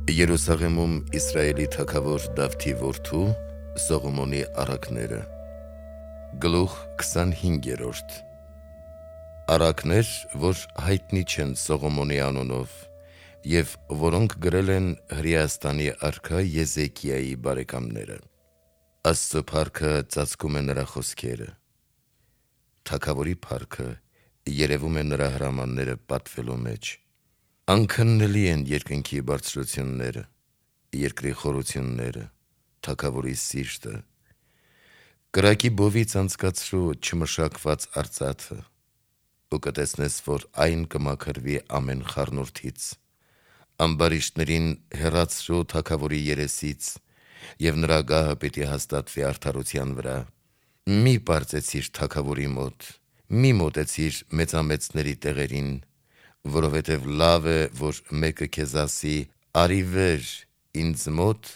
Երուսաղեմում Իսրայելի թագավոր Դավթի որդու Սողոմոնի առակները Գլուխ 25 Առակներ, որ հայտնի չեն Սողոմոնի անունով և որոնք գրել են Հրեաստանի արքա Եզեկիայի բարեկամները։ Աստծո փառքը ծածկում է նրա խոսքերը, թագավորի փառքը երևում է նրա հրամանները պատվելու մեջ։ Անքննելի են երկնքի բարձրությունները, երկրի խորությունները, թագավորի սիրտը։ Կրակի բովից անցկացրու չմշակված արծաթը, ու կտեսնես, որ այն կմաքրվի ամեն խառնուրդից։ Ամբարիշտներին հեռացրու թագավորի երեսից, և նրա գահը պիտի հաստատվի արդարության վրա։ Մի պարծեցիր թագավորի մոտ, մի մոտեցիր մեծամեծների տեղերին, որովհետև լավ է, որ մեկը քեզ ասի. «Արի վեր ինձ մոտ»,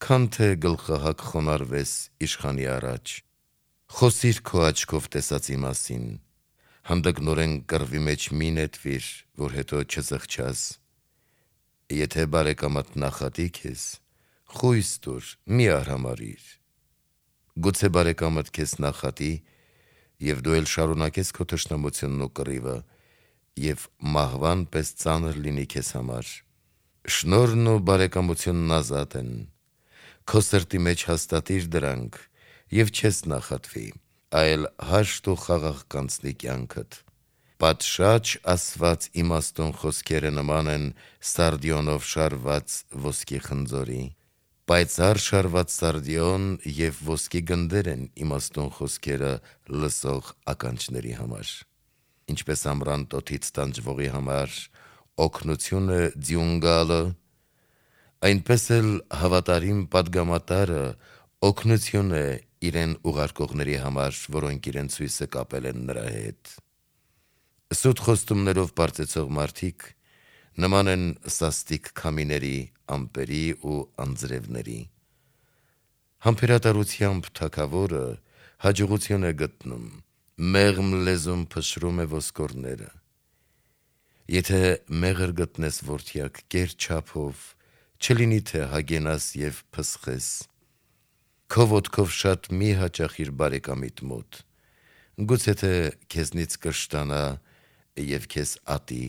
քան թե գլխահակ խոնարհվես իշխանի առաջ։ Խոսիր քո աչքով տեսածի մասին, հանդգնորեն կռվի մեջ մի նետվիր, որ հետո չզղջաս։ Եթե բարեկամդ նախատի քեզ, խույս տուր, մի արհամարհիր։ Գուցե բարեկամդ քեզ նախատի, և դու էլ շարունակես քո թշնամությունն ու կռիվը, և մահվան պես ծանր լինի քեզ համար։ Շնորհն ու բարեկամությունն ազատ են, քո սրտի մեջ հաստատիր դրանք, և չես նախատվի, այլ հաշտ ու խաղաղ կանցնի կյանքդ։ Պատշաճ ասված իմաստուն խոսքերը նման են սարդիոնով շարված ոսկի խնձորի։ Պայծառ շարված սարդիոն և ոսկի գնդեր են իմաստուն խոսքերը լսող ականջների համար։ Ինչպես ամռան տոթից տանջվողի համար օգնություն է ձյուն գալը, այնպես էլ հավատարիմ պատգամատարը օգնություն է իրեն ուղարկողների համար, որոնք իրենց հույսը կապել են նրա հետ։ Սուտ խոստումներով պարծեցող մարդիկ նման են սաստիկ քամիների, ամպերի ու անձրևների։ Համբերատարությամբ թագավորը հաջողություն է գտնում, մեղմ լեզուն փշրում է ոսկորները։ Եթե մեղր գտնես որդյակ կեր չափով, չլինի թե հագենաս և փսխես։ Քո ոտքով շատ մի հաճախիր բարեկամիդ մոտ, գուցե թե քեզնից կշտանա և քեզ ատի։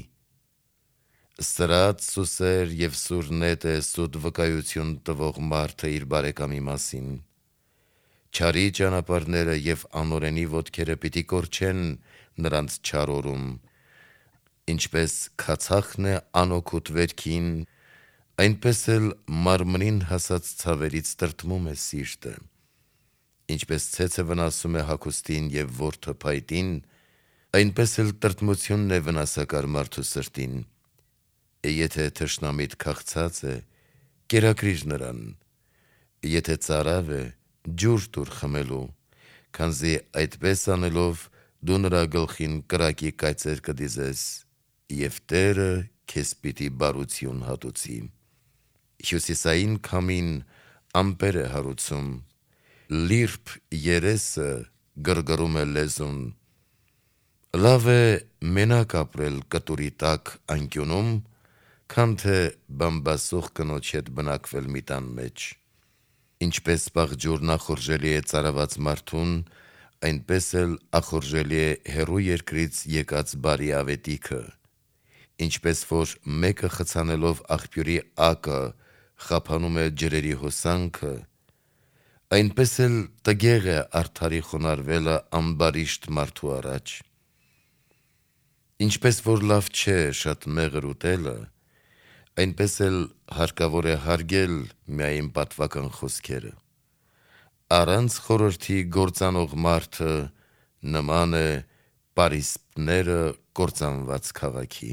Սրած, սուսեր և սուր նետ է սուտ վկայություն տվող մարդը իր բարեկամի մասին։ Չարի ճանապարհները և անօրենի ոտքերը պիտի կորչեն նրանց չար օրում։ Ինչպես քացախն է անօգուտ վերքին, այնպես էլ մարմնին հասած ցավերից տրտմում է սիրտը։ Ինչպես ցեցը վնասում է հագուստին և որդը փայտին, այնպես էլ տրտմությունն է վնասակար մարդու սրտին։ Եթե թշնամիդ քաղցած է, կերակրիր նրան, եթե ծարավ է, ջուր տուր խմելու, քանզի այդպես անելով դու նրա գլխին կրակի կայծեր կդիզես, և Տերը քեզ պիտի բարություն հատուցի։ Հյուսիսային քամին ամպեր է հարուցում, լիրբ երեսը գրգռում է լեզուն։ Լավ է մենակ ապրել կտուրի տակ անկյունում, քան թե բամբասող կնոջ հետ բնակվել մի տան մեջ։ Ինչպես պաղջուրն ախորժելի է ծարաված մարդուն, այնպես էլ ախորժելի է հեռու երկրից եկած բարի ավետիքը։ Ինչպես որ մեկը խցանելով աղբյուրի ակը խափանում է ջրերի հոսանքը, այնպես էլ տգեղ է արդարի խոնարհվելը ամբարիշտ մարդու առաջ։ Ինչպես որ լավ չէ շատ մեղր ուտելը, այնպես էլ հարկավոր է հարգել միայն պատվական խոսքերը։ Առանց խորհրդի գործանող մարդը նման է պարիսպները կործանված քաղաքի։